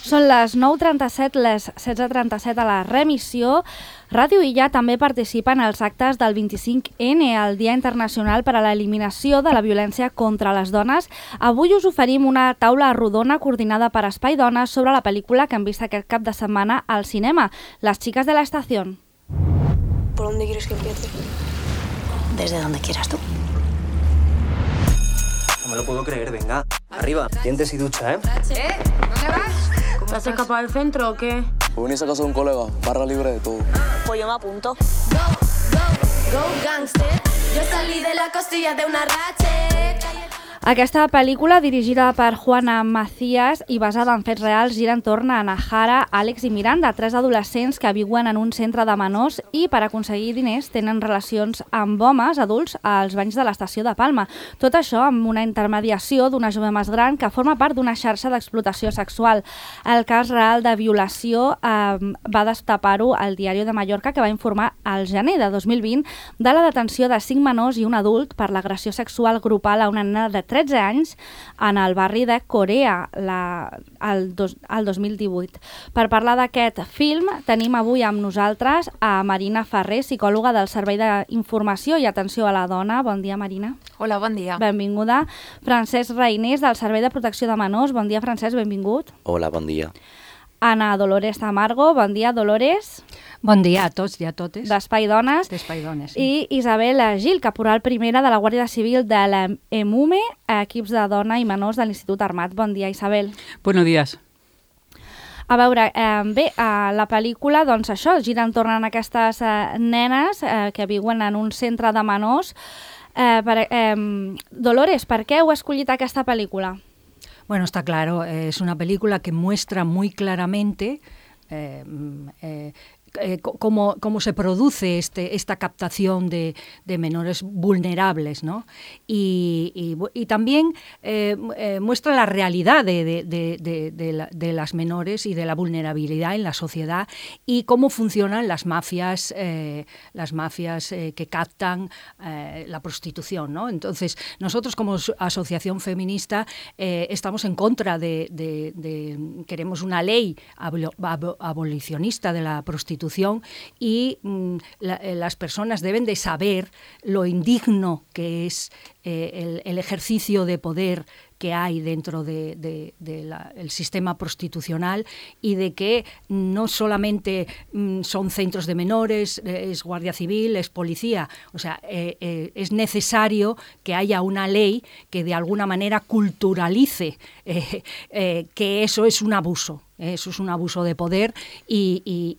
Són les 9:37, les 16:37 a la remissió. Ràdio Illa també participa en els actes del 25N, el Dia Internacional per a l'Eliminació de la Violència contra les Dones. Avui us oferim una taula rodona coordinada per Espai Dones sobre la pel·lícula que hem vist aquest cap de setmana al cinema, Las chicas de la estación. ¿Por dónde quieres que empiece? Desde donde quieras tú. No me lo puedo creer, venga. Arriba, dientes y ducha, ¿eh? ¿Dónde vas? ¿Te has escapado del centro o qué? Voy a venir a casa de un colega, barra libre de todo. Pues yo me apunto. Go gangster. Yo salí de la costilla de una ratchet. Aquesta pel·lícula, dirigida per Juana Macías i basada en fets reals, gira entorn a Nahara, Àlex i Miranda, 3 adolescents que viuen en un centre de menors i per aconseguir diners tenen relacions amb homes adults als banys de l'estació de Palma. Tot això amb una intermediació d'una jove més gran que forma part d'una xarxa d'explotació sexual. El cas real de violació va destapar-ho al Diari de Mallorca, que va informar al gener de 2020 de la detenció de 5 menors i un adult per l'agressió sexual grupal a una nena de 13 anys en el barri de Corea el 2018. Per parlar d'aquest film tenim avui amb nosaltres a Marina Ferrer, psicòloga del Servei d'Informació i Atenció a la Dona. Bon dia, Marina. Hola, bon dia. Benvinguda. Francesc Reinés, del Servei de Protecció de Menors. Bon dia, Francesc, benvingut. Hola, bon dia. Ana Dolores Tamargo. Bon dia, Dolores. Bon dia a tots i a totes. D'Espai Dones. D'Espai Dones, sí. I Isabel Gil, caporal primera de la Guàrdia Civil de l'EMUME, equips de dona i menors de l'Institut Armat. Bon dia, Isabel. Buenos días. A veure, bé, la pel·lícula, doncs això, gira entorn a aquestes nenes que viuen en un centre de menors. Dolores, per què heu escollit aquesta pel·lícula? Bueno, está claro, es una película que muestra muy claramente cómo se produce esta captación de menores vulnerables, ¿no? Y también muestra la realidad de las menores y de la vulnerabilidad en la sociedad y cómo funcionan las mafias que captan la prostitución, ¿no? Entonces, nosotros como asociación feminista estamos en contra queremos una ley abolicionista de la prostitución y las personas deben de saber lo indigno que es el ejercicio de poder que hay dentro del sistema prostitucional y de que no solamente son centros de menores, es Guardia Civil, es policía. O sea, es necesario que haya una ley que de alguna manera culturalice que eso es un abuso. Eso es un abuso de poder y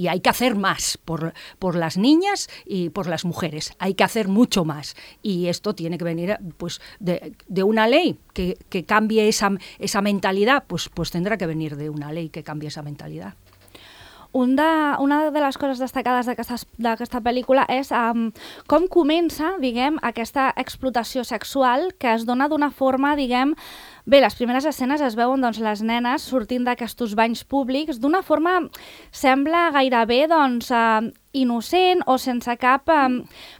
hay que hacer más por las niñas y por las mujeres. Hay que hacer mucho más. Y esto tiene que venir pues, de una ley que cambie esa mentalidad, pues tendrá que venir de una ley que cambie esa mentalidad. Una de les coses destacades d'aquesta pel·lícula és com comença, diguem, aquesta explotació sexual que es dona d'una forma, diguem, bé, les primeres escenes es veuen doncs, les nenes sortint d'aquests banys públics d'una forma, sembla gairebé doncs, innocent o sense cap...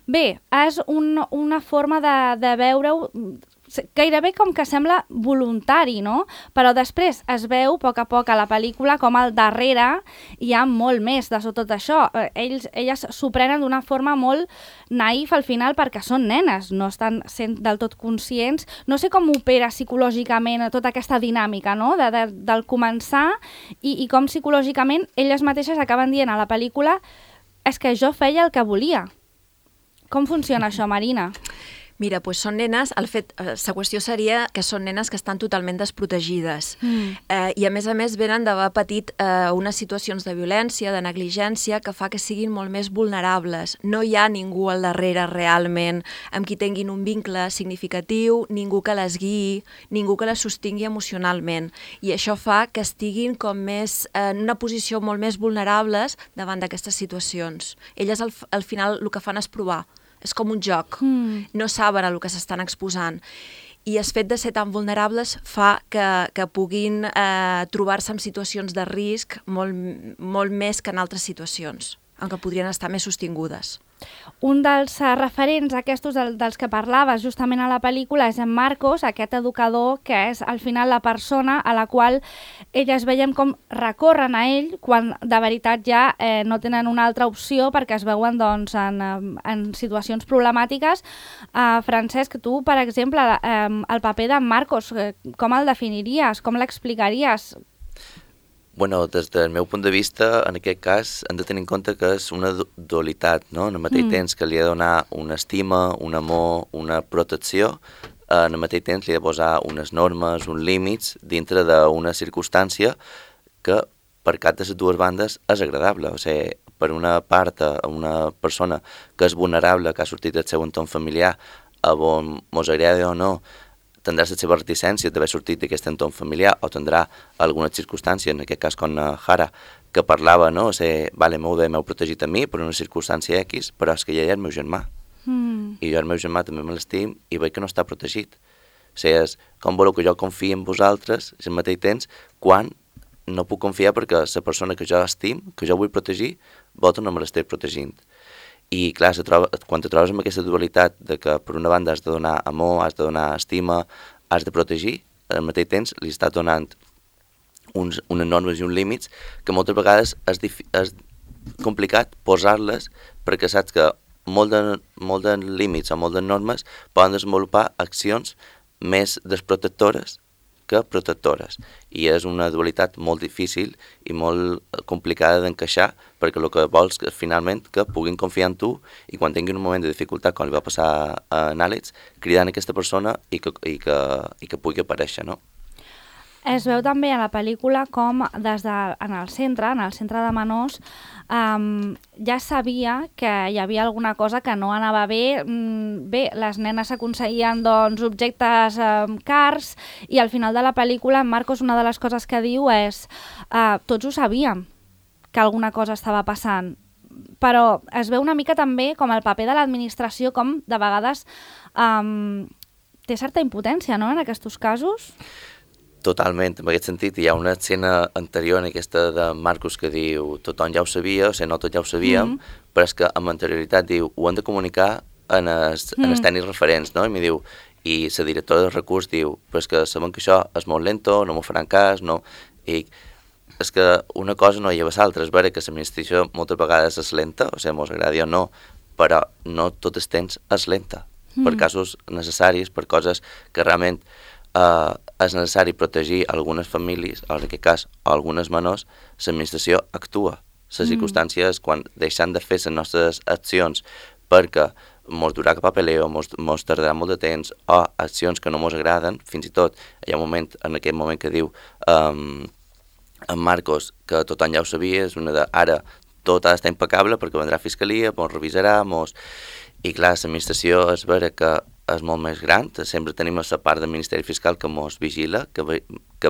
Bé, és una forma de veure-ho gairebé com que sembla voluntari, no? Però després es veu a poc a la pel·lícula com al darrere hi ha molt més de tot això. Elles s'ho prenen d'una forma molt naïf al final perquè són nenes, no estan sent del tot conscients. No sé com opera psicològicament tota aquesta dinàmica, no? Del començar i com psicològicament elles mateixes acaben dient a la pel·lícula és que jo feia el que volia. Com funciona això, Marina? Mira, doncs són nenes, la qüestió seria que són nenes que estan totalment desprotegides i a més venen d'haver patit unes situacions de violència, de negligència que fa que siguin molt més vulnerables. No hi ha ningú al darrere realment amb qui tinguin un vincle significatiu, ningú que les guiï, ningú que les sostingui emocionalment i això fa que estiguin com més en una posició molt més vulnerables davant d'aquestes situacions. Elles al final el que fan és provar. És com un joc, no saben a el que s'estan exposant. I el fet de ser tan vulnerables fa que puguin trobar-se en situacions de risc molt més que en altres situacions, en què podrien estar més sostingudes. un dels referents aquests dels que parlaves justament a la pel·lícula és en Marcos, aquest educador que és al final la persona a la qual elles veiem com recorren a ell quan de veritat ja no tenen una altra opció perquè es veuen doncs, en situacions problemàtiques. Francesc, tu, per exemple, el paper d'en Marcos, com el definiries? Com l'explicaries? Bueno, des del meu punt de vista, en aquest cas, hem de tenir en compte que és una dualitat, no? En el mateix temps que li ha de donar una estima, un amor, una protecció, en el mateix temps li ha de posar unes normes, uns límits, dintre d'una circumstància que per cap de les dues bandes és agradable. O sigui, per una part, una persona que és vulnerable, que ha sortit del seu entorn familiar, a on mos agrada o no, tindrà la seva reticència d'haver sortit d'aquest entorn familiar o tindrà alguna circumstància, en aquest cas com Jara, que parlava, no? O sigui, vale, molt bé, m'heu protegit a mi per una circumstància X, però és que ja hi ha el meu germà. I jo el meu germà també me l'estim i veig que no està protegit. O sigui, és com voleu que jo confiï en vosaltres, al mateix temps, quan no puc confiar perquè la persona que jo estim, que jo vull protegir, vosaltres no me l'esteu protegint. I clar, quan te trobes amb aquesta dualitat de que per una banda has de donar amor, has de donar estima, has de protegir, al mateix temps li estàs donant unes normes i uns límits que moltes vegades és complicat posar-les perquè saps que molt de límits o molt de normes poden desenvolupar accions més desprotectores que protectores. I és una dualitat molt difícil i molt complicada d'encaixar perquè el que vols és finalment que puguin confiar en tu i quan tinguin un moment de dificultat, com li va passar a Àlex, cridant a aquesta persona i que pugui aparèixer, no? Es veu també a la pel·lícula com en el centre de menors, ja sabia que hi havia alguna cosa que no anava bé. Bé, les nenes aconseguien doncs, objectes cars i al final de la pel·lícula en Marcos una de les coses que diu és tots ho sabíem que alguna cosa estava passant, però es veu una mica també com el paper de l'administració, com de vegades té certa impotència, no?, en aquests casos. Totalment, en aquest sentit hi ha una escena anterior en aquesta de Marcos que diu tothom ja ho sabia, o sigui, no tot ja ho sabíem, però és que amb anterioritat diu ho han de comunicar en els tècnics referents, no? I m'hi diu, i la directora del recurs diu, però és que sabem que això és molt lento, no m'ho faran cas, no... I és que una cosa no lleva a l'altra, és vera que l'administració moltes vegades és lenta, o sigui, mos agradi o no, però no tot el temps és lenta, per casos necessaris, per coses que realment és necessari protegir algunes famílies, en aquest cas algunes menors, l'administració actua. Les circumstàncies, quan deixant de fer les nostres accions perquè mos durà cap a peleo, mos tardarà molt de temps, o accions que no mos agraden, fins i tot hi ha un moment, en aquest moment que diu en Marcos, que tothom ja ho sabia, és una de ara tot ha d'estar impecable perquè vendrà a fiscalia, mos revisarà, I clar, l'administració és vera que és molt més gran, sempre tenim la part del Ministeri Fiscal que mos vigila, que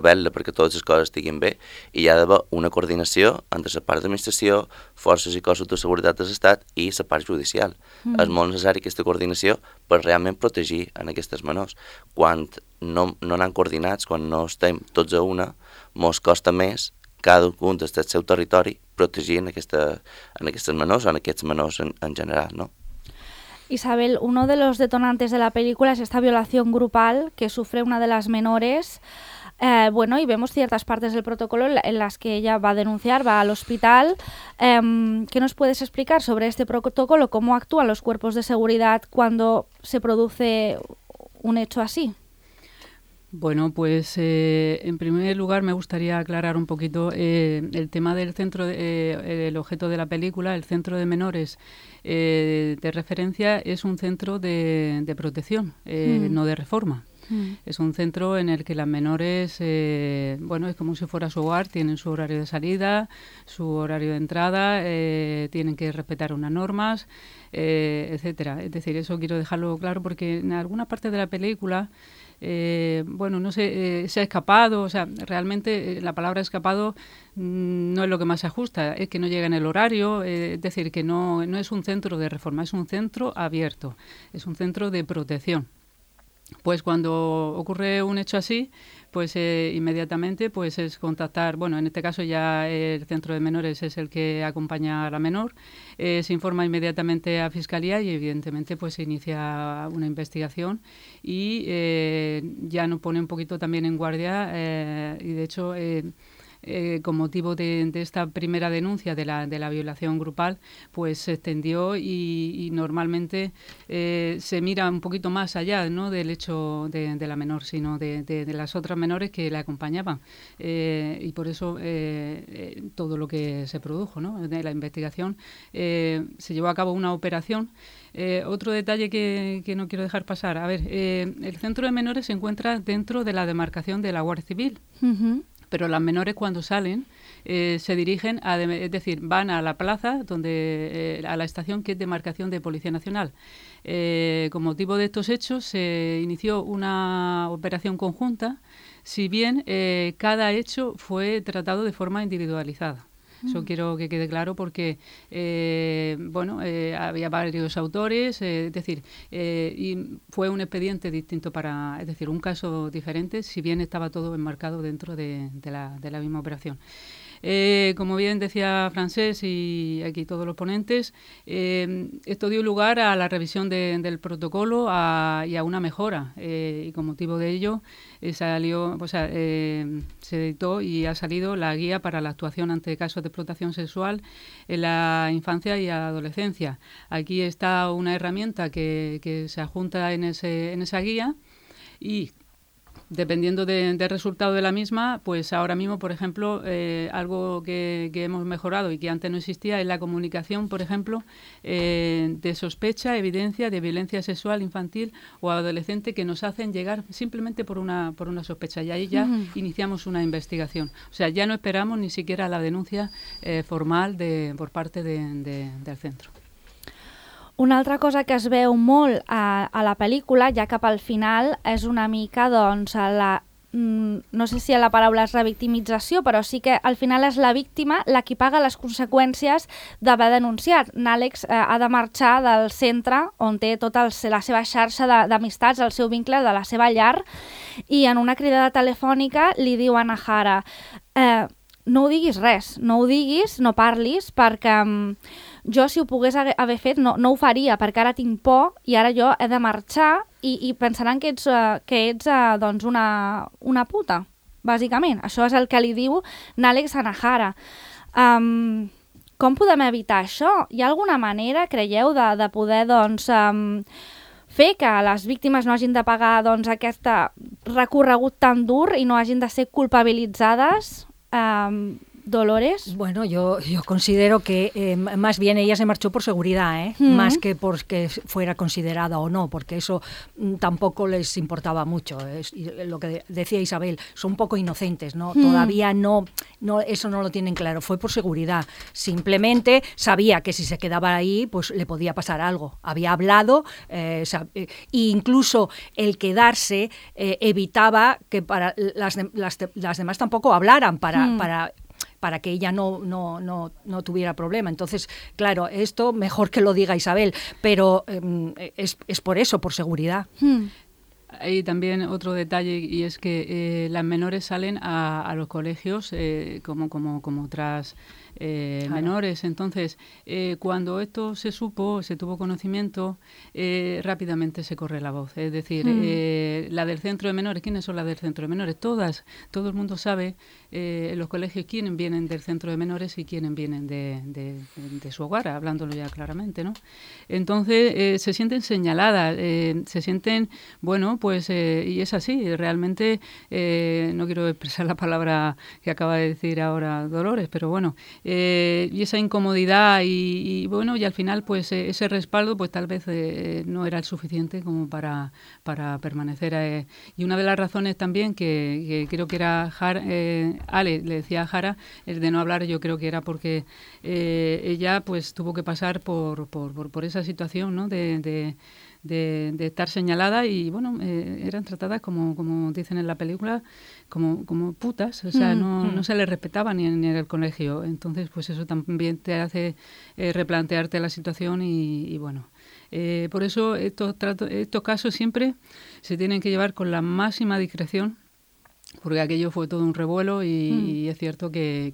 vetlla perquè totes les coses estiguin bé, i hi ha d'haver una coordinació entre la part d'administració, forces i cossos de seguretat de l'Estat i la part judicial. És molt necessari aquesta coordinació per realment protegir en aquestes menors. Quan no anem coordinats, quan no estem tots a una, mos costa més cada un des del seu territori protegir en aquestes menors o en aquests menors en general, no? Isabel, uno de los detonantes de la película es esta violación grupal que sufre una de las menores. Y vemos ciertas partes del protocolo en las que ella va a denunciar, va al hospital. ¿Qué nos puedes explicar sobre este protocolo? ¿Cómo actúan los cuerpos de seguridad cuando se produce un hecho así? Bueno, pues en primer lugar me gustaría aclarar un poquito el tema del centro, el objeto de la película, el centro de menores de referencia es un centro de protección, no de reforma. Es un centro en el que las menores, es como si fuera su hogar, tienen su horario de salida, su horario de entrada, tienen que respetar unas normas, etcétera. Es decir, eso quiero dejarlo claro porque en alguna parte de la película no sé, se ha escapado, o sea, realmente la palabra escapado no es lo que más se ajusta, es que no llega en el horario, es decir, que no es un centro de reforma, es un centro abierto, es un centro de protección. Pues cuando ocurre un hecho así, pues inmediatamente pues es contactar, bueno, en este caso ya el centro de menores es el que acompaña a la menor, se informa inmediatamente a Fiscalía y evidentemente pues se inicia una investigación y ya nos pone un poquito también en guardia y de hecho... con motivo de esta primera denuncia de la violación grupal, pues se extendió y normalmente se mira un poquito más allá, ¿no?, del hecho de la menor, sino de las otras menores que la acompañaban. Y por eso todo lo que se produjo, ¿no?, de la investigación, se llevó a cabo una operación. Otro detalle que no quiero dejar pasar. A ver, el centro de menores se encuentra dentro de la demarcación de la Guardia Civil. Uh-huh. Pero las menores cuando salen se dirigen, es decir, van a la plaza, a la estación que es demarcación de Policía Nacional. Con motivo de estos hechos se inició una operación conjunta, si bien cada hecho fue tratado de forma individualizada. Eso quiero que quede claro porque, había varios autores, es decir, y fue un expediente distinto es decir, un caso diferente, si bien estaba todo enmarcado dentro de la misma operación. Como bien decía Francés y aquí todos los ponentes, esto dio lugar a la revisión del protocolo y a una mejora y con motivo de ello se editó y ha salido la guía para la actuación ante casos de explotación sexual en la infancia y adolescencia. Aquí está una herramienta que se adjunta en esa guía y dependiendo del resultado de la misma, pues ahora mismo, por ejemplo, algo que hemos mejorado y que antes no existía es la comunicación, por ejemplo, de sospecha, evidencia de violencia sexual infantil o adolescente que nos hacen llegar simplemente por una sospecha. Y ahí ya iniciamos una investigación. O sea, ya no esperamos ni siquiera la denuncia formal por parte del centro. Una altra cosa que es veu molt a la pel·lícula, ja cap al final, és una mica, doncs, no sé si la paraula és revictimització, però sí que al final és la víctima la qui paga les conseqüències d'haver denunciat. N'Àlex ha de marxar del centre on té tota la seva xarxa d'amistats, el seu vincle de la seva llar, i en una cridada telefònica li diu a Nahara no ho diguis res, no ho diguis, no parlis, perquè jo si ho pogués haver fet no ho faria, perquè ara tinc por i ara jo he de marxar i pensaran que ets doncs una puta, bàsicament. Això és el que li diu n'Àlex a Nahara. Com podem evitar això? Hi ha alguna manera, creieu, de poder fer que les víctimes no hagin de pagar aquest recorregut tan dur i no hagin de ser culpabilitzades? Dolores. Bueno, yo considero que más bien ella se marchó por seguridad, más que porque fuera considerada o no, porque eso tampoco les importaba mucho. Lo que decía Isabel, son un poco inocentes, ¿no? Todavía no, eso no lo tienen claro. Fue por seguridad. Simplemente sabía que si se quedaba ahí, pues le podía pasar algo. Había hablado, e incluso el quedarse evitaba que para las demás tampoco hablaran para que ella no tuviera problema. Entonces, claro, esto mejor que lo diga Isabel, pero es por eso, por seguridad. Hay también otro detalle y es que las menores salen a los colegios como otras menores. Entonces, cuando esto se tuvo conocimiento, rápidamente se corre la voz. Es decir, la del centro de menores, ¿quiénes son las del centro de menores? Todo el mundo sabe en los colegios quiénes vienen del centro de menores y quiénes vienen de su hogar, hablándolo ya claramente, ¿no? Entonces, se sienten señaladas, se sienten, bueno, pues, y es así, realmente, no quiero expresar la palabra que acaba de decir ahora Dolores, pero bueno, y esa incomodidad y bueno, y al final pues ese respaldo pues tal vez no era el suficiente como para permanecer. Y una de las razones también que creo que era Ale le decía a Jara, el de no hablar, yo creo que era porque ella pues tuvo que pasar por esa situación, ¿no? de estar señalada y, bueno, eran tratadas como dicen en la película, como putas, o sea, no se les respetaba ni en el colegio. Entonces, pues eso también te hace replantearte la situación y bueno. Por eso estos casos siempre se tienen que llevar con la máxima discreción, porque aquello fue todo un revuelo y es cierto que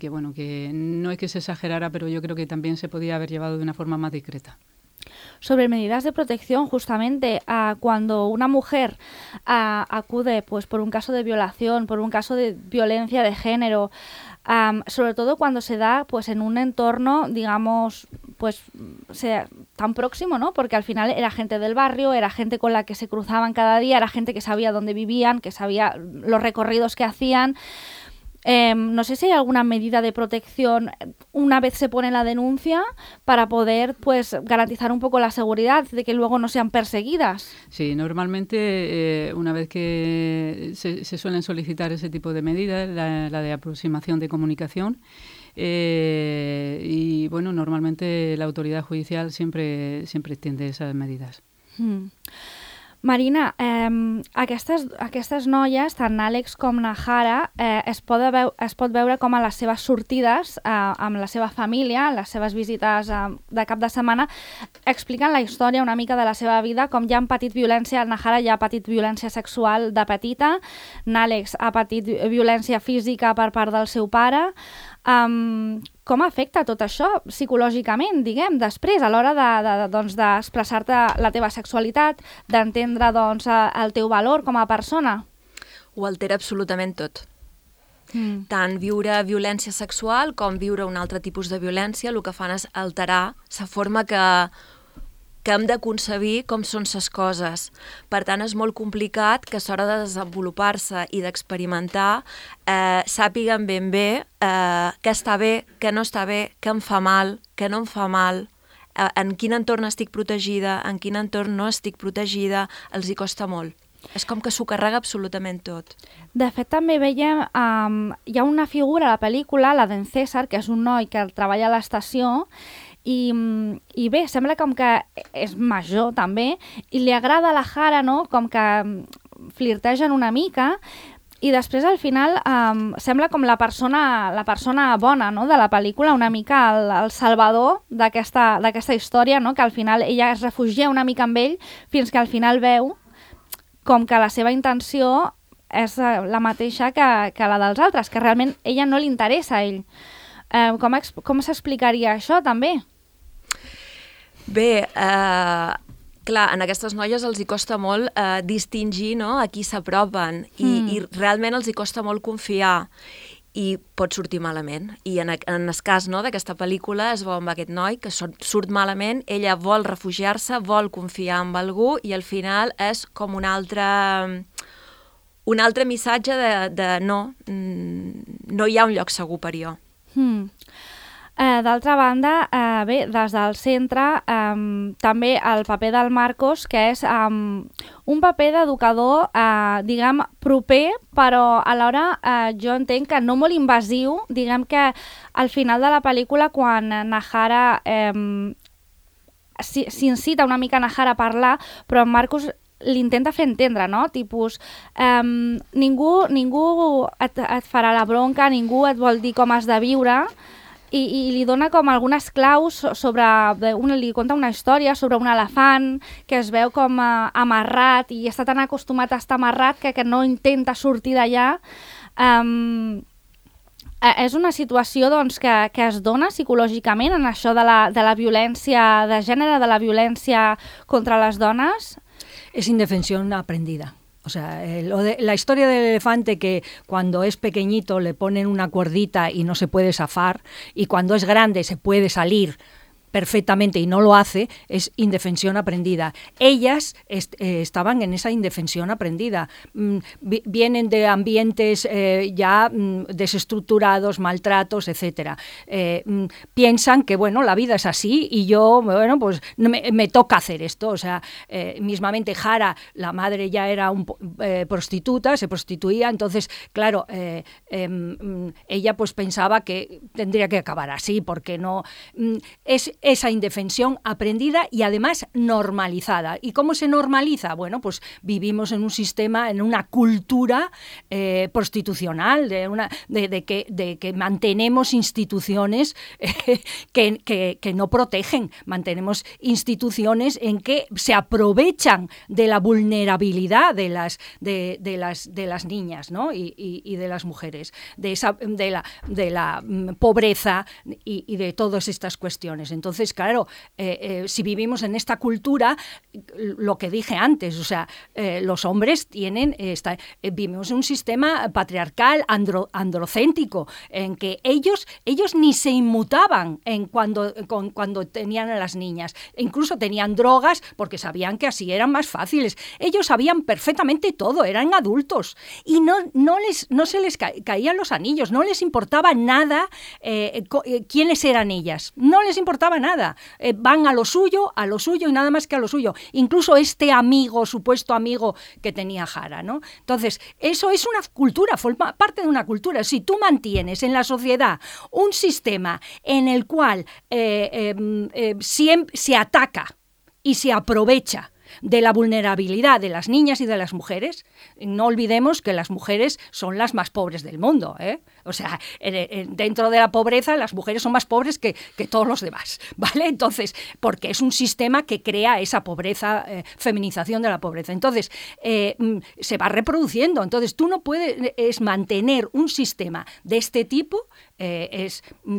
no es que se exagerara, pero yo creo que también se podía haber llevado de una forma más discreta. Sobre medidas de protección, justamente cuando una mujer acude pues por un caso de violación, por un caso de violencia de género, sobre todo cuando se da pues en un entorno, digamos, pues tan próximo, ¿no? Porque al final era gente del barrio, era gente con la que se cruzaban cada día, era gente que sabía dónde vivían, que sabía los recorridos que hacían. No sé si hay alguna medida de protección una vez se pone la denuncia para poder pues garantizar un poco la seguridad de que luego no sean perseguidas. Sí, normalmente una vez que se suelen solicitar ese tipo de medidas, la de aproximación de comunicación, y bueno, normalmente la autoridad judicial siempre extiende esas medidas. Marina, aquestes noies, tant Àlex com Nahara, es pot veure com a les seves sortides amb la seva família, les seves visites de cap de setmana, expliquen la història una mica de la seva vida, com ja han patit violència. Nahara ja ha patit violència sexual de petita, Àlex ha patit violència física per part del seu pare. Com afecta tot això psicològicament, diguem, després, a l'hora d'expressar-te la teva sexualitat, d'entendre el teu valor com a persona? Ho altera absolutament tot. Tant viure violència sexual com viure un altre tipus de violència, el que fan és alterar la forma que hem de concebir com són les coses. Per tant, és molt complicat que a l'hora de desenvolupar-se i d'experimentar sàpiguen ben bé què està bé, què no està bé, què em fa mal, què no em fa mal, en quin entorn estic protegida, en quin entorn no estic protegida, els hi costa molt. És com que s'ho carrega absolutament tot. De fet, també veiem, hi ha una figura a la pel·lícula, la d'en César, que és un noi que treballa a l'estació, i bé, sembla com que és major també, i li agrada la Jara, no? Com que flirtegen una mica, i després al final sembla com la persona bona, no? De la pel·lícula, una mica el salvador d'aquesta història, no? Que al final ella es refugia una mica amb ell fins que al final veu com que la seva intenció és la mateixa que la dels altres, que realment ella no li interessa a ell. Com s'explicaria això també? Bé, clar, en aquestes noies els hi costa molt distingir, no?, a qui s'apropen i realment els hi costa molt confiar i pot sortir malament. I en el cas, no, d'aquesta pel·lícula es veu amb aquest noi que surt malament, ella vol refugiar-se, vol confiar en algú i al final és com un altre missatge de no hi ha un lloc segur per jo. D'altra banda, bé, des del centre, també el paper del Marcos, que és un paper d'educador, diguem, proper, però alhora jo entenc que no molt invasiu, diguem que al final de la pel·lícula, quan Nahara s'incita una mica Nahara a parlar, però en Marcos l'intenta fer entendre, no? Tipus, ningú et farà la bronca, ningú et vol dir com has de viure, i li dona com algunes claus sobre... li conta una història sobre un elefant que es veu com amarrat i està tan acostumat a estar amarrat que no intenta sortir d'allà. És una situació doncs, que es dona psicològicament en això de la violència de gènere, de la violència contra les dones? Es indefensión aprendida. O sea, la historia del elefante que cuando es pequeñito le ponen una cuerdita y no se puede zafar, y cuando es grande se puede salir perfectamente y no lo hace, es indefensión aprendida. Ellas estaban en esa indefensión aprendida. Vienen de ambientes ya desestructurados, maltratos, etc. Piensan que, bueno, la vida es así y yo, bueno, pues me toca hacer esto. O sea, mismamente Jara, la madre ya era prostituta, se prostituía, entonces, claro, ella pues pensaba que tendría que acabar así, porque no... Es esa indefensión aprendida y además normalizada. ¿Y cómo se normaliza? Bueno, pues vivimos en un sistema, en una cultura prostitucional, de que mantenemos instituciones que no protegen, mantenemos instituciones en que se aprovechan de la vulnerabilidad de las niñas, ¿no? y de las mujeres, de la pobreza y de todas estas cuestiones. Entonces, claro, si vivimos en esta cultura, lo que dije antes, o sea, los hombres vivimos en un sistema patriarcal, androcéntrico, en que ellos ni se inmutaban cuando tenían a las niñas. Incluso tenían drogas porque sabían que así eran más fáciles. Ellos sabían perfectamente todo, eran adultos. Y no se les caían los anillos, no les importaba nada quiénes eran ellas. No les importaba nada. Van a lo suyo y nada más que a lo suyo. Incluso este supuesto amigo que tenía Jara, ¿no? Entonces, eso es una cultura, forma parte de una cultura. Si tú mantienes en la sociedad un sistema en el cual siempre se ataca y se aprovecha de la vulnerabilidad de las niñas y de las mujeres, no olvidemos que las mujeres son las más pobres del mundo, ¿eh? O sea, dentro de la pobreza las mujeres son más pobres que todos los demás, ¿vale? Entonces, porque es un sistema que crea esa pobreza, feminización de la pobreza. Entonces, se va reproduciendo. Entonces, tú no puedes mantener un sistema de este tipo,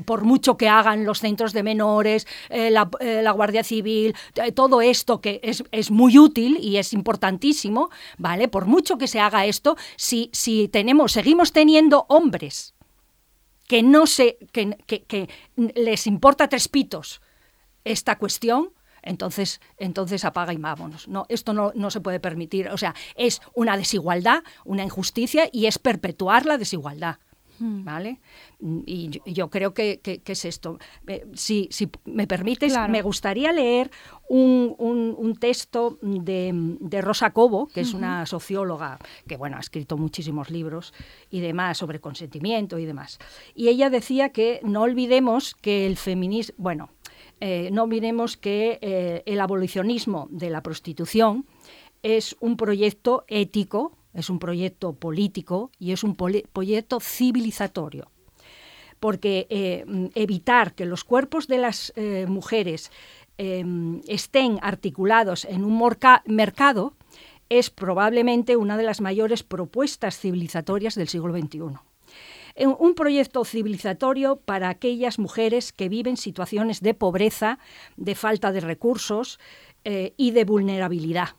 por mucho que hagan los centros de menores, la Guardia Civil, todo esto que es muy útil y es importantísimo, ¿vale? Por mucho que se haga esto, si seguimos teniendo hombres que les importa tres pitos esta cuestión, entonces apaga y vámonos. No, esto no se puede permitir. O sea, es una desigualdad, una injusticia y es perpetuar la desigualdad. ¿Vale? Y yo creo que es esto. Si me permites, claro, me gustaría leer un texto de Rosa Cobo, que es una socióloga que, bueno, ha escrito muchísimos libros y demás sobre consentimiento y demás. Y ella decía que no olvidemos que el feminismo, no olvidemos que el abolicionismo de la prostitución es un proyecto ético, es un proyecto político y es un proyecto civilizatorio. Porque evitar que los cuerpos de las mujeres estén articulados en un mercado es probablemente una de las mayores propuestas civilizatorias del siglo XXI. Un proyecto civilizatorio para aquellas mujeres que viven situaciones de pobreza, de falta de recursos y de vulnerabilidad.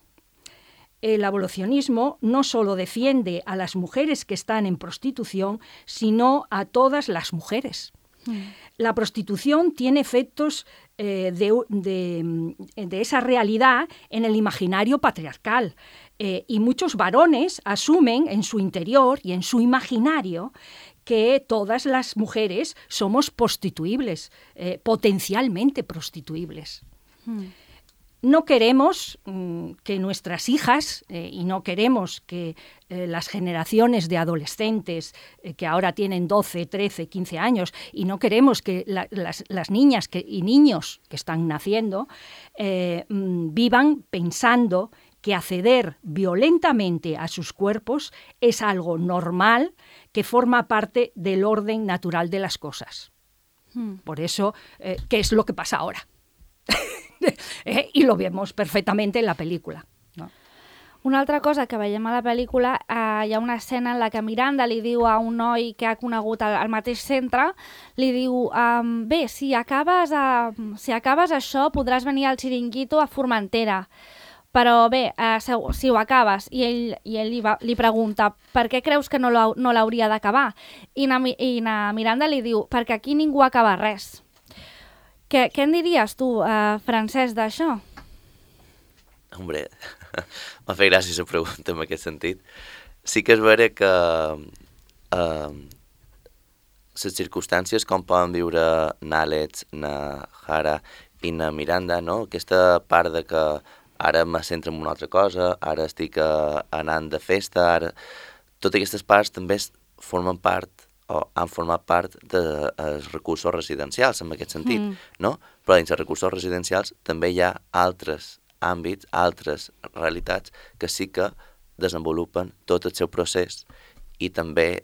El abolicionismo no solo defiende a las mujeres que están en prostitución, sino a todas las mujeres. La prostitución tiene efectos de esa realidad en el imaginario patriarcal y muchos varones asumen en su interior y en su imaginario que todas las mujeres somos prostituibles, potencialmente prostituibles. No queremos que nuestras hijas y no queremos que las generaciones de adolescentes que ahora tienen 12, 13, 15 años y no queremos que las niñas y niños que están naciendo vivan pensando que acceder violentamente a sus cuerpos es algo normal que forma parte del orden natural de las cosas. Por eso, ¿qué es lo que pasa ahora? Y lo vemos perfectament en la pel·lícula. No? Una altra cosa que veiem a la pel·lícula, hi ha una escena en la que Miranda li diu a un noi que ha conegut al mateix centre, li diu, bé, si acabes això podràs venir al Chiringuito a Formentera, però bé, si ho acabes, i ell li pregunta per què creus que no l'hauria d'acabar? I na Miranda li diu, perquè aquí ningú acaba res. Què en diries tu, Francesc, d'això? Hombre, m'ha fet gràcia la pregunta en aquest sentit. Sí que és vera que les circumstàncies com poden viure n'Àlex, na Jara i na Miranda, no? Aquesta part de que ara me centro en una altra cosa, ara estic anant de festa, ara... Totes aquestes parts també formen part o han format part dels recursos residencials, en aquest sentit, no? Però dins els recursos residencials també hi ha altres àmbits, altres realitats que sí que desenvolupen tot el seu procés i també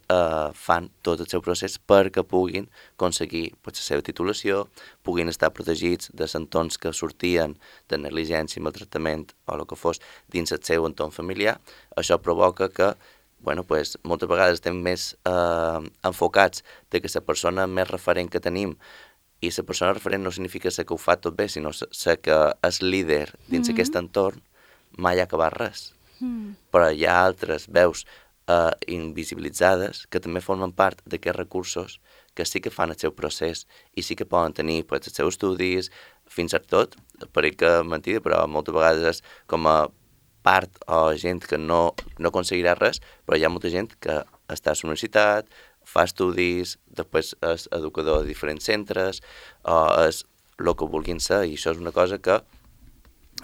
fan tot el seu procés perquè puguin aconseguir la seva titulació, puguin estar protegits de entorns que sortien de negligència, maltractament o el que fos dins el seu entorn familiar. Això provoca que moltes vegades estem més enfocats de que la persona més referent que tenim, i la persona referent no significa ser que ho fa tot bé, sinó ser que és líder dins aquest entorn, mai ha acabat res. Però hi ha altres veus invisibilitzades que també formen part d'aquests recursos que sí que fan el seu procés i sí que poden tenir els seus estudis, fins i tot, pareix que mentida, però moltes vegades és com a part o gent que no aconseguirà res, però hi ha molta gent que està a la universitat, fa estudis, després és educador de diferents centres, o és el que vulguin ser, i això és una cosa que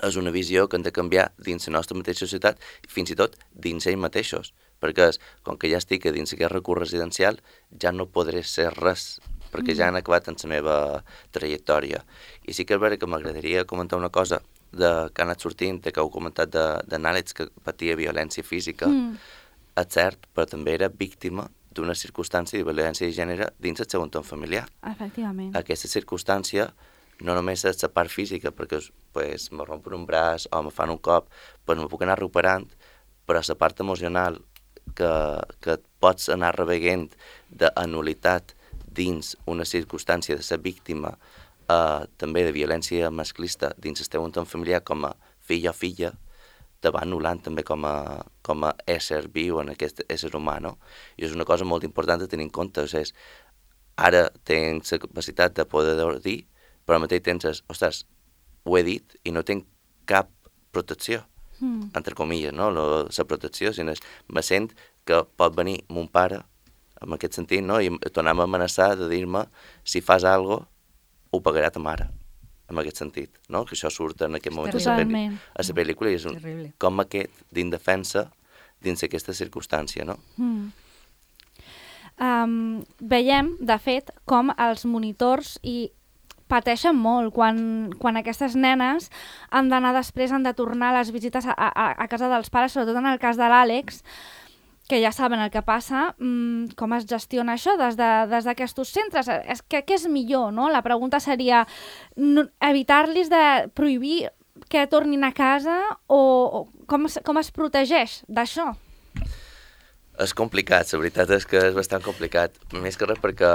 és una visió que hem de canviar dins la nostra mateixa societat, fins i tot dins ells mateixos, perquè com que ja estic dins aquest recurs residencial, ja no podré ser res, perquè ja han acabat en la meva trajectòria. I sí que és veritat que m'agradaria comentar una cosa que ha anat sortint, que heu comentat d'en Àlex, que patia violència física, és cert, però també era víctima d'una circumstància de violència de gènere dins el seu entorn familiar. Efectivament. Aquesta circumstància no només és la part física, perquè me rompen un braç o me fan un cop, me puc anar recuperant, però la part emocional que pots anar reveient d'anulitat dins una circumstància de ser víctima també de violència masclista dins el teu entorn familiar com a fill o filla, te va anul·lant també com a ésser viu en aquest ésser humà, no? I és una cosa molt important de tenir en compte. Ara tens la capacitat de poder dir, però al mateix temps ostres, ho he dit i no tinc cap protecció, entre comilles, no? La protecció, sinó me sent que pot venir mon pare, en aquest sentit, no? I tornar-me a amenaçar de dir-me si fas alguna cosa, ho pagarà ta mare, en aquest sentit, no? Que això surt en aquest moment a la pel·lícula i és com aquest d'indefensa dins aquesta circumstància, no? Veiem, de fet, com els monitors pateixen molt quan aquestes nenes han d'anar després, han de tornar a les visites a casa dels pares, sobretot en el cas de l'Àlex, que ja saben el que passa, com es gestiona això des d'aquests centres. Què és millor, no? La pregunta seria evitar-los de prohibir que tornin a casa o com es protegeix d'això? És complicat, la veritat és que és bastant complicat. Més que res perquè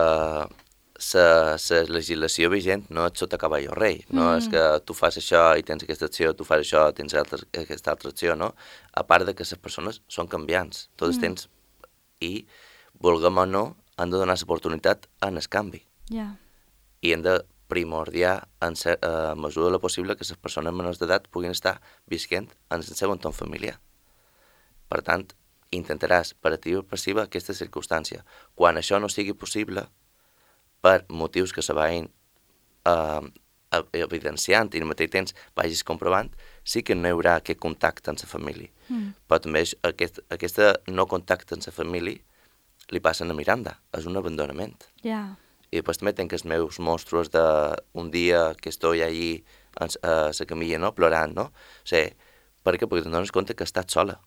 la legislació vigent no és sota cavall o rei, no és que tu fas això i tens aquesta acció, tu fas això i tens aquesta altra acció, no? A part de que les persones són canviants, tot el temps, i vulguem o no, han de donar l'oportunitat en el canvi. I hem de primordiar, a mesura de la possible, que les persones menors d'edat puguin estar visquent en el seu entorn familiar. Per tant, intentaràs per activa o passiva aquesta circumstància. Quan això no sigui possible, per motius que se vagin evidenciant i al mateix temps vagis comprovant, sí que no hi haurà aquest contacte amb la família. Però també aquest no contacte amb la família li passen a Miranda, és un abandonament. I després també tenc els meus monstruos d'un dia que estoy allí a la camilla, no? Plorant, no? O sigui, per què? Perquè te'n dones compte que estàs sola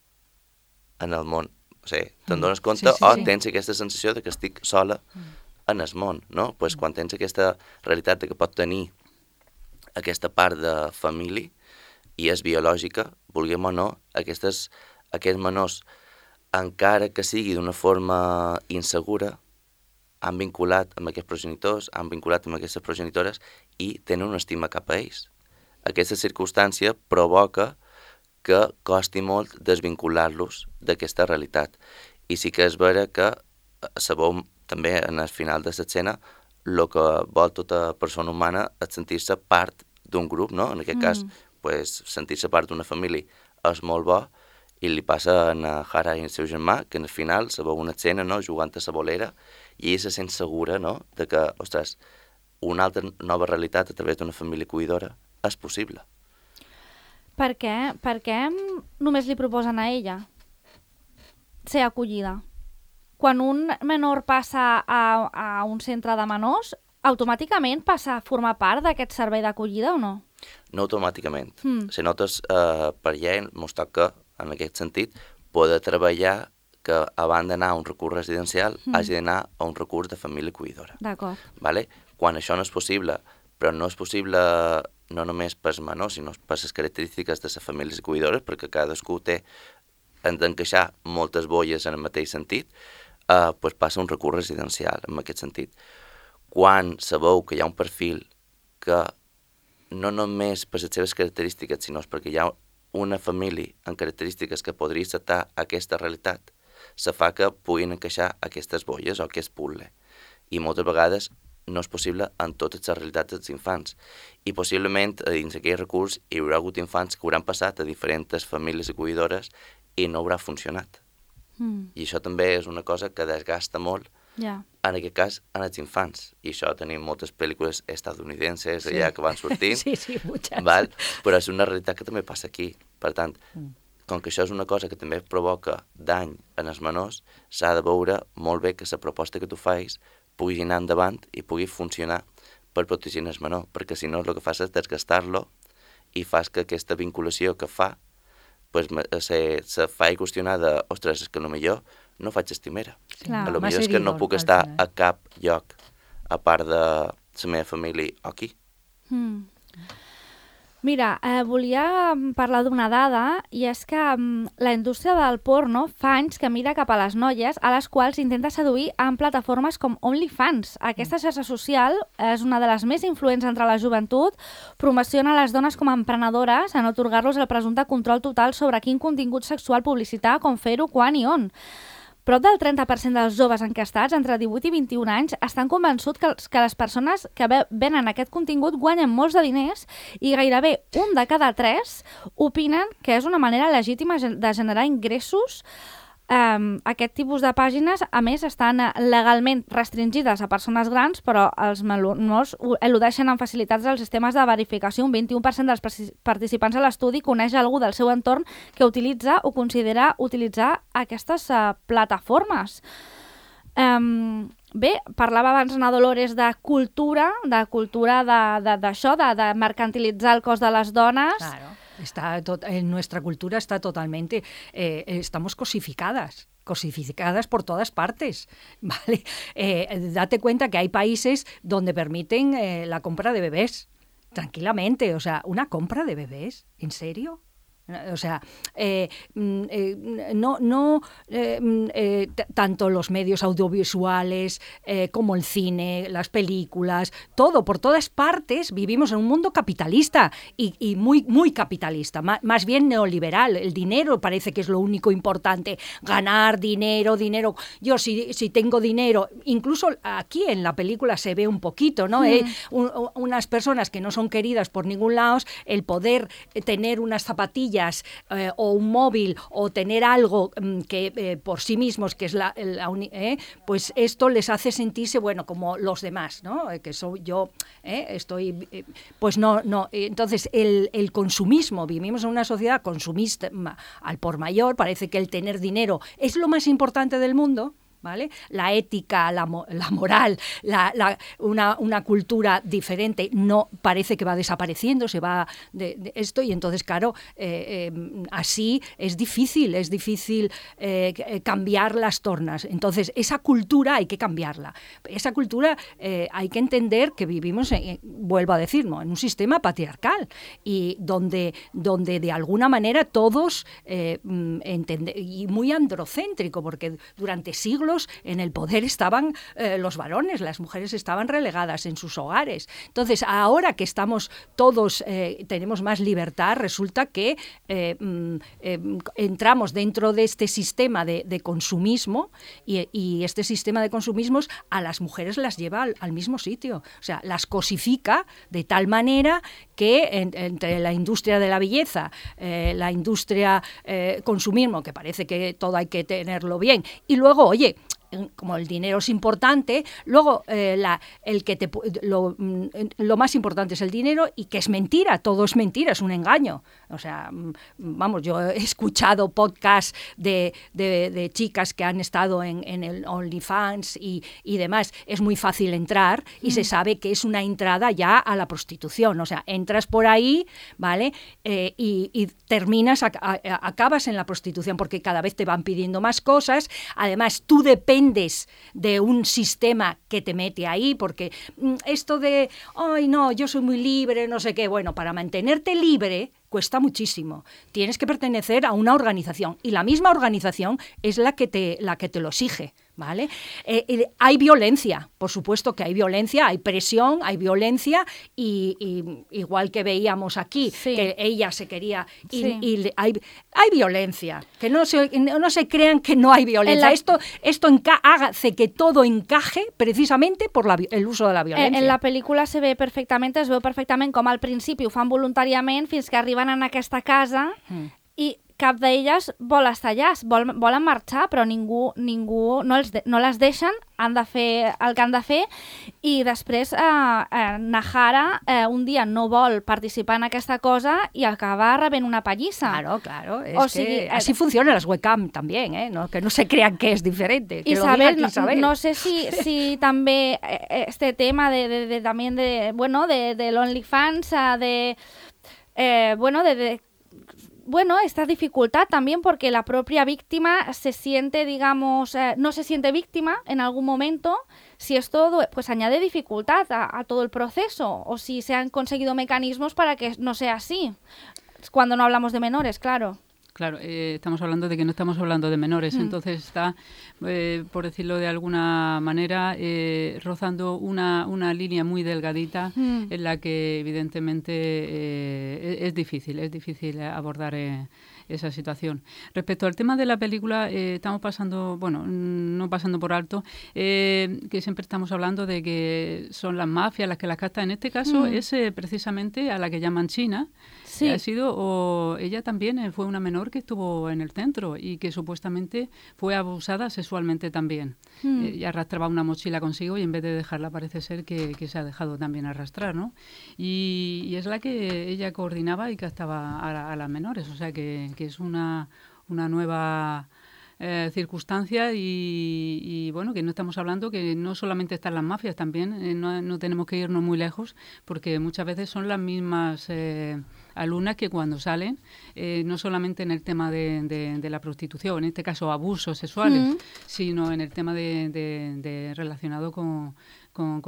en el món. O sigui, te'n dones compte tens aquesta sensació de que estic sola en el món, no? Pues quan tens aquesta realitat que pot tenir aquesta part de família i és biològica, vulguem o no, aquests menors, encara que sigui d'una forma insegura, han vinculat amb aquests progenitors, han vinculat amb aquestes progenitores i tenen una estima cap a ells. Aquesta circumstància provoca que costi molt desvincular-los d'aquesta realitat. I sí que és vera que sabeu també en el final de l'escena el que vol tota persona humana és sentir-se part d'un grup, no? En aquest cas, sentir-se part d'una família és molt bo i li passa a Hara i al seu germà que al final se veu una escena, no? Jugant a la bolera i ella se sent segura, no? De que, ostres, una altra nova realitat a través d'una família cuidadora és possible. Per què només li proposen a ella ser acollida? quan un menor passa a un centre de menors, automàticament passa a formar part d'aquest servei d'acollida o no? No automàticament. Si nosaltres per llei ens toca, en aquest sentit, poder treballar que abans d'anar a un recurs residencial hagi d'anar a un recurs de família acollidora. D'acord. Vale? Quan això no és possible, però no és possible no només pels menors, sinó per les característiques de les famílies acollidores, perquè cadascú han d'encaixar moltes bolles en el mateix sentit, doncs passa un recurs residencial en aquest sentit. Quan sabeu que hi ha un perfil que no només per les seves característiques, sinó perquè hi ha una família amb característiques que podria acceptar aquesta realitat, se fa que puguin encaixar aquestes bolles o aquest puzzle. I moltes vegades no és possible en totes les realitats dels infants. I possiblement dins aquell recurs hi haurà hagut infants que hauran passat a diferents famílies acollidores i no haurà funcionat. I això també és una cosa que desgasta molt, en aquest cas, en els infants. I això tenim moltes pel·lícules estadounidenses allà que van sortint. Sí, muchas. Però és una realitat que també passa aquí. Per tant, com que això és una cosa que també provoca dany en els menors, s'ha de veure molt bé que la proposta que tu fais pugui anar endavant i pugui funcionar per protegir el menor, perquè si no el que fas és desgastar-lo i fas que aquesta vinculació que fa se fa qüestionar de, ostres, és que potser no faig estimera. Potser és que no puc estar a cap lloc a part de la meva família o aquí. Mira, volia parlar d'una dada, i és que la indústria del porno fa anys que mira cap a les noies a les quals intenta seduir en plataformes com OnlyFans. Aquesta xarxa social és una de les més influents entre la joventut, promociona les dones com a emprenedores en atorgar-los el presumpte control total sobre quin contingut sexual publicitar, com fer-ho, quan i on. Prop del 30% dels joves enquestats entre 18 i 21 anys estan convençuts que les persones que venen aquest contingut guanyen molts de diners i gairebé 1 de cada 3 opinen que és una manera legítima de generar ingressos. Aquest tipus de pàgines, a més, estan legalment restringides a persones grans, però els menors eludeixen amb facilitats els sistemes de verificació. Un 21% dels participants a l'estudi coneix algú del seu entorn que utilitza o considera utilitzar aquestes plataformes. Bé, parlava abans Ana Dolores de cultura d'això, de mercantilitzar el cos de les dones. Claro. En nuestra cultura está totalmente, estamos cosificadas por todas partes, ¿vale? Date cuenta que hay países donde permiten la compra de bebés, tranquilamente, o sea, ¿una compra de bebés? ¿En serio? O sea, tanto los medios audiovisuales como el cine, las películas, todo, por todas partes vivimos en un mundo capitalista y muy, muy capitalista, más bien neoliberal. El dinero parece que es lo único importante, ganar dinero. Yo si tengo dinero, incluso aquí en la película se ve un poquito, ¿no? Unas personas que no son queridas por ningún lado, el poder tener unas zapatillas o un móvil o tener algo que por sí mismos, que es pues esto les hace sentirse, bueno, como los demás, ¿no? Que soy yo, estoy... pues no. Entonces, el consumismo, vivimos en una sociedad consumista al por mayor, parece que el tener dinero es lo más importante del mundo, ¿vale? La ética, la moral, una cultura diferente no parece que va desapareciendo, se va de esto, y entonces, claro, así es difícil cambiar las tornas. Entonces, esa cultura hay que cambiarla. Esa cultura hay que entender que vivimos, vuelvo a decir, ¿no?, en un sistema patriarcal y donde de alguna manera todos y muy androcéntrico, porque durante siglos en el poder estaban los varones, las mujeres estaban relegadas en sus hogares. Entonces, ahora que estamos todos, tenemos más libertad, resulta que entramos dentro de este sistema de consumismo y este sistema de consumismo a las mujeres las lleva al mismo sitio. O sea, las cosifica de tal manera que entre la industria de la belleza, la industria consumismo, que parece que todo hay que tenerlo bien, y luego, oye, como el dinero es importante, luego lo más importante es el dinero y que es mentira, todo es mentira, es un engaño. O sea, vamos, yo he escuchado podcasts de chicas que han estado en el OnlyFans y demás. Es muy fácil entrar y se sabe que es una entrada ya a la prostitución. O sea, entras por ahí, ¿vale? Y terminas, acabas en la prostitución porque cada vez te van pidiendo más cosas. Además, tú dependes de un sistema que te mete ahí, porque esto de, ay, no, yo soy muy libre, no sé qué. Bueno, para mantenerte libre cuesta muchísimo. Tienes que pertenecer a una organización y la misma organización es la que te lo exige, ¿vale? Hay violencia, por supuesto que hay violencia, hay presión, hay violencia y igual que veíamos aquí, que ella se quería y hay violencia, que no se crean que no hay violencia. Esto hace que todo encaje precisamente por el uso de la violencia. En la pel·lícula es veu perfectament com al principi ho fan voluntàriament fins que arriben en aquesta casa i cap d'elles vol estar allà, volen marxar, però ningú no les deixen, han de fer el que han de fer, i després Nahara un dia no vol participar en aquesta cosa i acaba rebent una pallissa. Claro, así funcionan las webcam también, ¿no? Que no se crean que es diferente. Que Isabel, no sé si també este tema también de l'OnlyFans, esta dificultad también porque la propia víctima se siente, digamos, no se siente víctima en algún momento, si esto pues añade dificultad a todo el proceso o si se han conseguido mecanismos para que no sea así, cuando no hablamos de menores, claro. Claro, estamos hablando de que no estamos hablando de menores, entonces está, por decirlo de alguna manera, rozando una línea muy delgadita en la que evidentemente es difícil abordar esa situación. Respecto al tema de la película, estamos no pasando por alto, que siempre estamos hablando de que son las mafias las que las captan. En este caso es precisamente a la que llaman China. Sí. Ella también fue una menor que estuvo en el centro y que supuestamente fue abusada sexualmente también. Y arrastraba una mochila consigo y en vez de dejarla parece ser que se ha dejado también arrastrar, ¿no? Y es la que ella coordinaba y captaba a las menores, o sea que es una nueva circunstancia y bueno, que no estamos hablando que no solamente están las mafias, también no tenemos que irnos muy lejos porque muchas veces son las mismas alumnas que cuando salen, no solamente en el tema de la prostitución, en este caso abusos sexuales, sino en el tema de relacionado con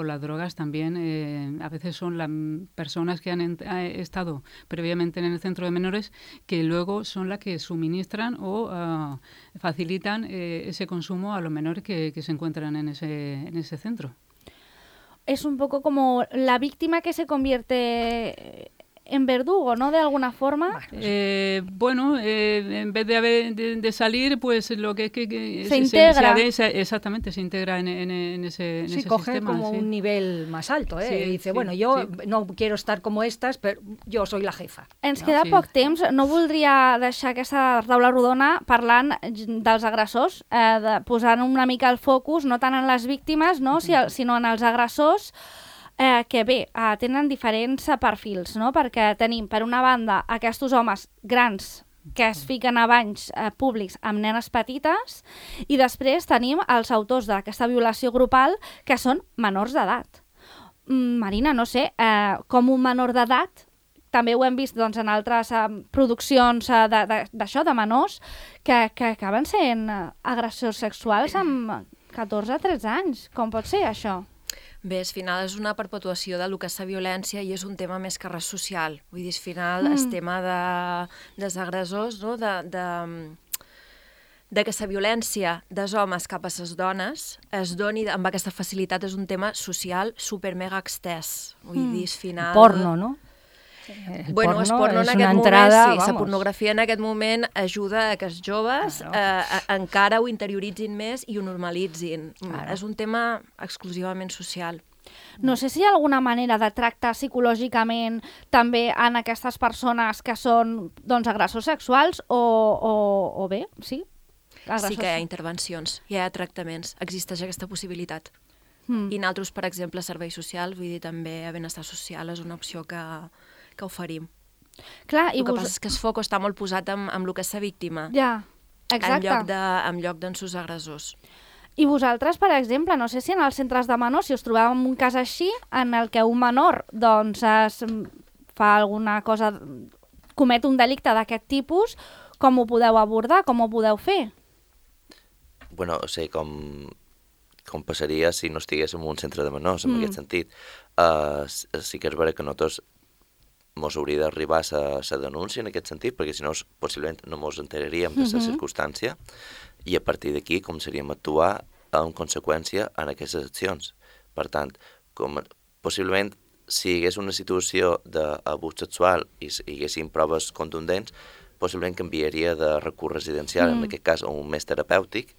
las drogas también. A veces son las personas que han estado previamente en el centro de menores que luego son las que suministran o facilitan ese consumo a los menores que se encuentran en ese centro. Es un poco como la víctima que se convierte en verdugo, ¿no? De alguna forma. En vez de salir, pues lo que es que se integra. Exactamente, se integra en ese coge sistema. Como un nivel más alto, Sí, dice, yo no quiero estar como estas, pero yo soy la jefa. Ens queda poc temps. No voldria deixar aquesta taula rodona parlant dels agressors, posant una mica el focus, no tant en les víctimes, no? Sinó en els agressors, que bé, tenen diferents perfils, no? Perquè tenim, per una banda, aquests homes grans que es fiquen a banys públics amb nenes petites i després tenim els autors d'aquesta violació grupal que són menors d'edat. Marina, no sé, com un menor d'edat, també ho hem vist en altres produccions d'això, de menors, que acaben sent agressors sexuals amb 14-13 anys. Com pot ser això? Bé, al final és una perpetuació del que és la violència i és un tema més que res social. Vull dir, al final el tema dels agressors, no? de que la violència dels homes cap a les dones es doni amb aquesta facilitat és un tema social super mega extès. Vull dir, al final... Porno, no? El porno en aquest moment, la pornografia en aquest moment ajuda a que els joves encara ho interioritzin més i ho normalitzin. És un tema exclusivament social. No sé si hi ha alguna manera de tractar psicològicament també en aquestes persones que són agressors sexuals o bé, sí? sí que hi ha intervencions, hi ha tractaments, existeix aquesta possibilitat. I nosaltres, per exemple, serveis socials, vull dir, també a benestar social és una opció que oferim. Clar, el que passa és que el foc està molt posat amb el que és la víctima. Ja, exacte. En lloc d'en sus agressors. I vosaltres, per exemple, no sé si en els centres de menors, si us trobàveu en un cas així, en el que un menor doncs, fa alguna cosa, comet un delicte d'aquest tipus, com ho podeu abordar, com ho podeu fer? Bueno, o sigui, com passaria si no estiguéssim en un centre de menors, en aquest sentit. Sí que és vera que nosaltres mos hauria d'arribar a la denúncia en aquest sentit, perquè si no, possiblement no mos enteraríem de la circumstància, i a partir d'aquí començaríem a actuar en conseqüència en aquestes accions. Per tant, possiblement, si hi hagués una situació d'abús sexual i hi haguessin proves contundents, possiblement canviaria de recurs residencial, en aquest cas, a un més terapèutic,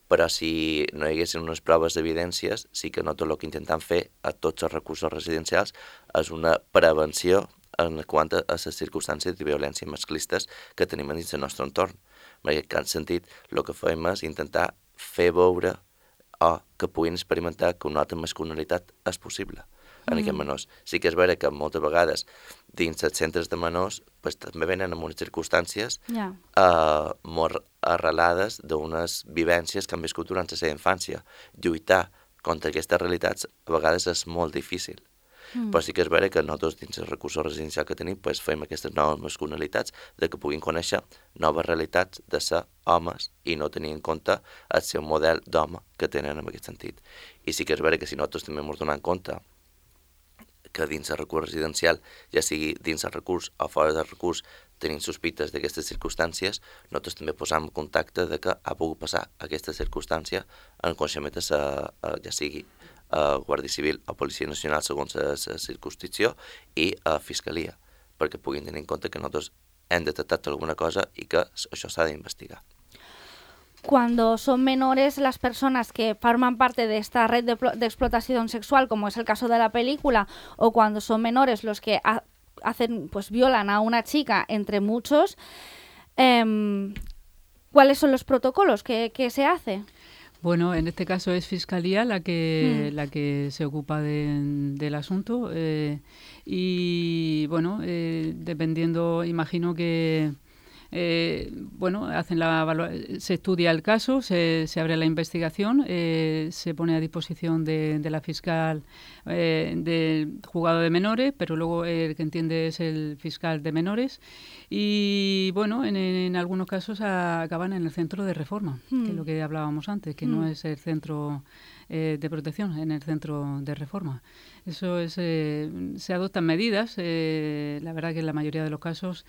però si no hi haguessin unes proves d'evidències, sí que nosaltres el que intentem fer a tots els recursos residencials és una prevenció en quant a les circumstàncies de violència masclistes que tenim dins del nostre entorn. En aquest sentit, el que fem és intentar fer veure o que puguin experimentar que una altra masculinitat és possible en aquests menors. Sí que és vera que moltes vegades dins els centres de menors també venen en unes circumstàncies molt arrelades d'unes vivències que han viscut durant la seva infància. Lluitar contra aquestes realitats a vegades és molt difícil. Però sí que és vera que nosaltres dins el recurs residencial que tenim fem aquestes noves masculinalitats de que puguin conèixer noves realitats de ser homes i no tenir en compte el seu model d'home que tenen en aquest sentit. I sí que és vera que si nosaltres també ens donem compte que dins el recurs residencial, ja sigui dins el recurs o fora del recurs, tenim sospites d'aquestes circumstàncies, nosaltres també posam en contacte de que ha pogut passar aquesta circumstància en coneixement de ja sigui Guàrdia Civil o Policia Nacional segons la circumscripció i a Fiscalia, perquè puguin tenir en compte que nosaltres hem detectat alguna cosa y que això s'ha d'investigar. Cuando son menores las personas que forman parte de esta red de explotación sexual, como es el caso de la película, o cuando son menores los que violan a una chica, entre muchos, ¿cuáles son los protocolos que se hace? Bueno, en este caso es Fiscalía la que se ocupa del asunto y bueno, dependiendo, imagino que se estudia el caso, se abre la investigación, se pone a disposición de la fiscal del juzgado de menores, pero luego el que entiende es el fiscal de menores y bueno, en algunos casos acaban en el centro de reforma, que es lo que hablábamos antes, que no es el centro de protección, en el centro de reforma. Eso es, se adoptan medidas, la verdad que en la mayoría de los casos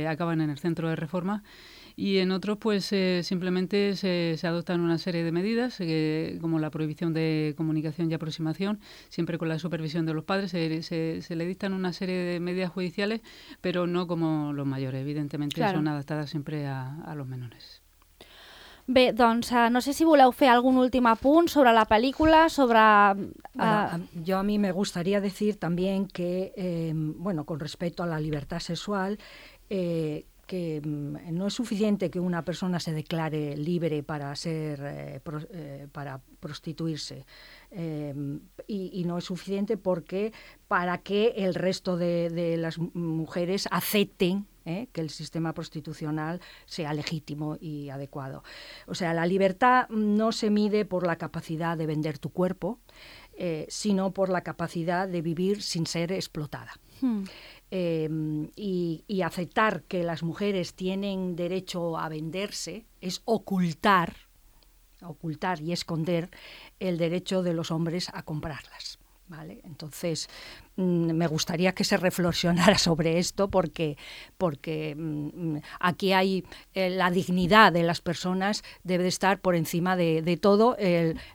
acaban en el centro de reforma y en otros pues simplemente se adoptan una serie de medidas como la prohibición de comunicación y aproximación, siempre con la supervisión de los padres, se le dictan una serie de medidas judiciales, pero no como los mayores, evidentemente claro. Son adaptadas siempre a los menores. Bé, doncs no sé si voleu fer algun últim apunt sobre la película, sobre... Yo a mí me gustaría decir también que, con respecto a la libertad sexual, que no es suficiente que una persona se declare libre para para prostituirse y no es suficiente porque para que el resto de las mujeres acepten que el sistema prostitucional sea legítimo y adecuado. O sea, la libertad no se mide por la capacidad de vender tu cuerpo, sino por la capacidad de vivir sin ser explotada. Y aceptar que las mujeres tienen derecho a venderse es ocultar y esconder el derecho de los hombres a comprarlas. ¿Vale? Entonces, me gustaría que se reflexionara sobre esto porque aquí hay la dignidad de las personas debe estar por encima de todo.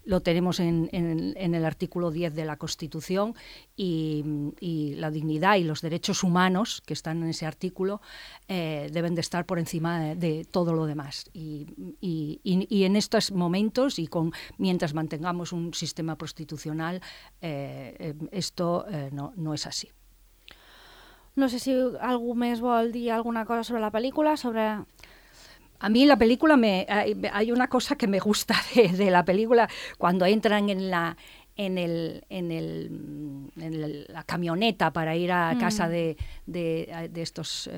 Lo tenemos en el artículo 10 de la Constitución y la dignidad y los derechos humanos que están en ese artículo deben de estar por encima de todo lo demás. Y en estos momentos mientras mantengamos un sistema prostitucional, esto no és així. No sé si algú més vol dir alguna cosa sobre la pel·lícula, sobre... A mí la película hay una cosa que me gusta de la película cuando entran en la camioneta para ir a casa de estos,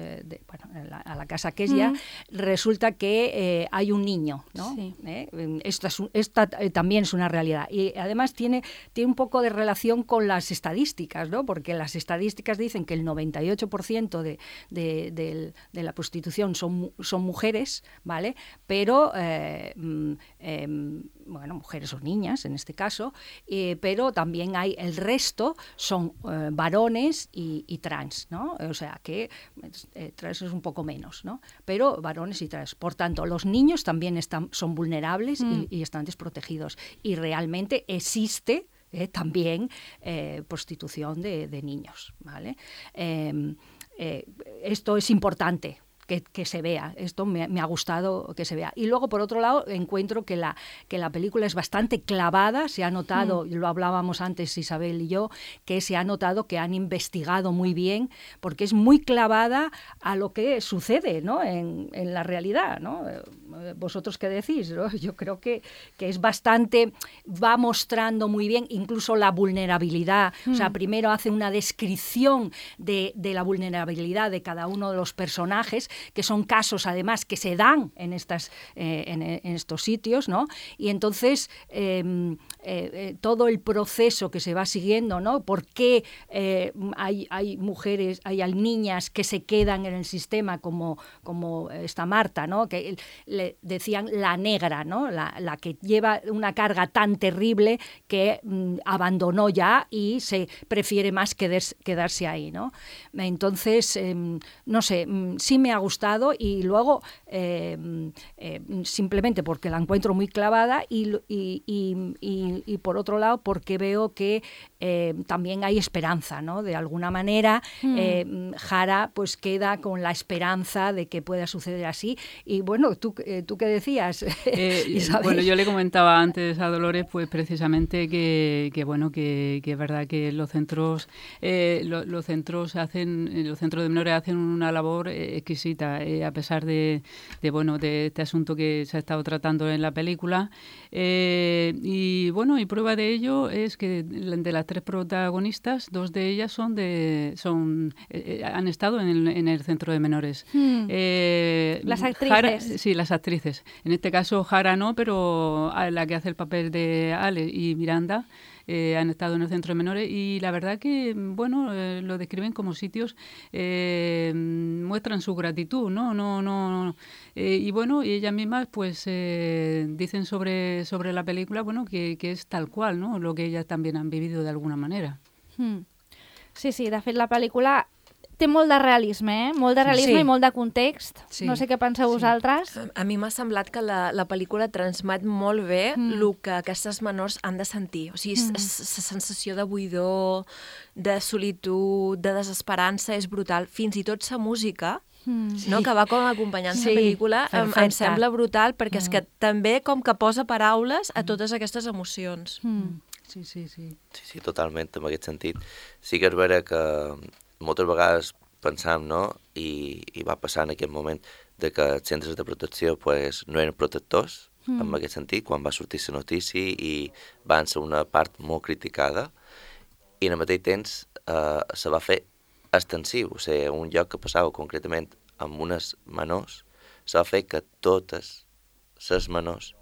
a la casa Kessia, resulta que hay un niño, ¿no? Sí. Esta también es una realidad. Y además tiene un poco de relación con las estadísticas, ¿no? Porque las estadísticas dicen que el 98% de la prostitución son mujeres, ¿vale? Pero, mujeres o niñas en este caso, pero también hay el resto son varones y trans, ¿no? O sea que trans es un poco menos, ¿no? Pero varones y trans. Por tanto, los niños también son vulnerables y están desprotegidos. Y realmente existe también prostitución de niños, ¿vale? Esto es importante. Que se vea, esto me ha gustado que se vea. Y luego, por otro lado, encuentro que la película es bastante clavada, se ha notado, lo hablábamos antes Isabel y yo, que se ha notado que han investigado muy bien, porque es muy clavada a lo que sucede, ¿no? en la realidad, ¿no? ¿Vosotros qué decís? ¿No? Yo creo que es bastante, va mostrando muy bien incluso la vulnerabilidad, o sea, primero hace una descripción de la vulnerabilidad de cada uno de los personajes, que son casos además que se dan en estos sitios, ¿no? Y entonces todo el proceso que se va siguiendo, ¿no? ¿Por qué hay mujeres, hay niñas que se quedan en el sistema como esta Marta, ¿no? Que le decían la negra, ¿no? La que lleva una carga tan terrible que abandonó ya y se prefiere más quedarse ahí, ¿no? Entonces, no sé, sí me ha gustado y luego simplemente porque la encuentro muy clavada y por otro lado porque veo que también hay esperanza, ¿no? De alguna manera Jara pues queda con la esperanza de que pueda suceder así. Y bueno, ¿tú qué decías? Bueno, yo le comentaba antes a Dolores pues precisamente que es verdad que los centros de menores hacen una labor exquisita, a pesar de este asunto que se ha estado tratando en la película. Y prueba de ello es que de las 3 protagonistas, 2 de ellas han estado en el centro de menores. Las actrices. Las actrices. En este caso Jara no, pero la que hace el papel de Ale y Miranda han estado en el centro de menores y la verdad que, lo describen como sitios, muestran su gratitud, ¿no? Y ellas mismas pues dicen sobre la película, que es tal cual, ¿no? Lo que ellas también han vivido de alguna manera. Sí, de fet la pel·lícula té molt de realisme, molt de realisme i molt de context. Sí. No sé què penseu vosaltres. A mi m'ha semblat que la pel·lícula transmet molt bé el que aquestes menors han de sentir. O sigui, la sensació de buidor, de solitud, de desesperança és brutal. Fins i tot la música, que va com acompanyant la pel·lícula, em sembla brutal perquè és que també com que posa paraules a totes aquestes emocions. Sí, totalment, en aquest sentit. Sí que és vera que moltes vegades pensam, no?, i va passar en aquest moment, de que els centres de protecció pues, no eren protectors, en aquest sentit, quan va sortir la notícia i van ser una part molt criticada, i al mateix temps se va fer extensiu, o sigui, un lloc que passava concretament amb unes menors, se va fer que totes les menors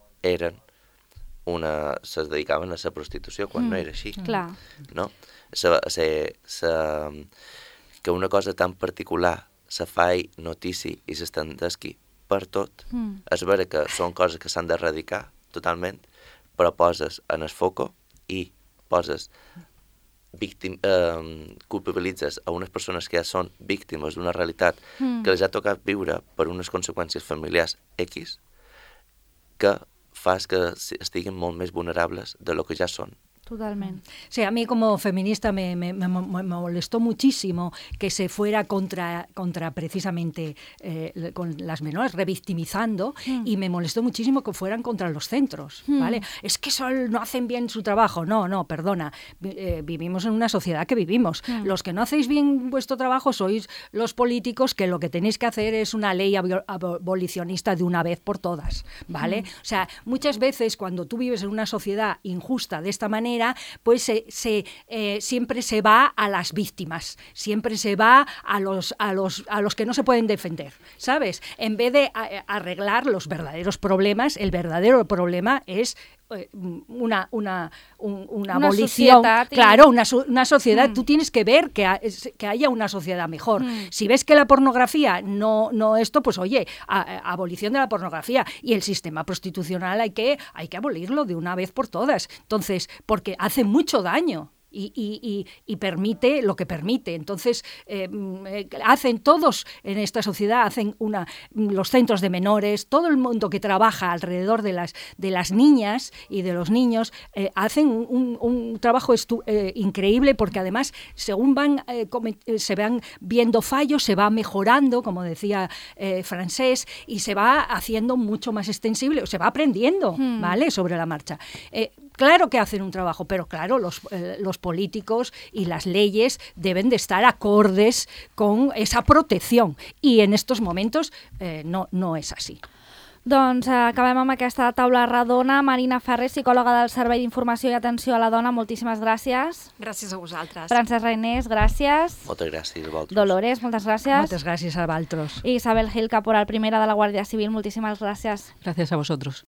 se dedicaven a la prostitució, quan no era així. Clar. No? Que una cosa tan particular se faci notícia i s'estendesqui per tot. És vera que són coses que s'han d'erradicar totalment, però poses en el foco i poses culpabilitzes a unes persones que ja són víctimes d'una realitat que els ha tocat viure per unes conseqüències familiars X, que fas que estiguin molt més vulnerables de lo que ja són. Totalment. Sí, a mí como feminista me molestó muchísimo que se fuera contra precisamente con las menores, revictimizando, y me molestó muchísimo que fueran contra los centros, ¿vale? Es que no hacen bien su trabajo. No, perdona. Vivimos en una sociedad que vivimos. Los que no hacéis bien vuestro trabajo sois los políticos, que lo que tenéis que hacer es una ley abolicionista de una vez por todas, ¿vale? O sea, muchas veces cuando tú vives en una sociedad injusta de esta manera, pues siempre se va a las víctimas, siempre se va a los que no se pueden defender, ¿sabes? En vez de arreglar los verdaderos problemas, el verdadero problema es una abolición, claro, una sociedad. Tú tienes que ver que haya una sociedad mejor. Si ves que la pornografía no esto, pues oye, abolición de la pornografía, y el sistema prostitucional hay que abolirlo de una vez por todas. Entonces, porque hace mucho daño. Y permite lo que permite. Entonces, hacen todos en esta sociedad, los centros de menores, todo el mundo que trabaja alrededor de las niñas y de los niños, hacen un trabajo increíble, porque además, según se van viendo fallos, se va mejorando, como decía Francesc, y se va haciendo mucho más extensible, se va aprendiendo, ¿vale?, sobre la marcha. Claro que hacen un trabajo, pero claro, los políticos y las leyes deben de estar acordes con esa protección, i en estos momentos no és així. Doncs acabem amb aquesta taula redona. Marina Ferrer, psicòloga del Servei d'Informació i Atenció a la Dona, moltíssimes gràcies. Gràcies a vosaltres. Francesc Reinés, gràcies. Moltes gràcies a vosaltres. Dolores, moltes gràcies. Moltes gràcies a vosaltres. I Isabel Gil, caporal primera de la Guàrdia Civil, moltíssimes gràcies. Gracias a vosotros.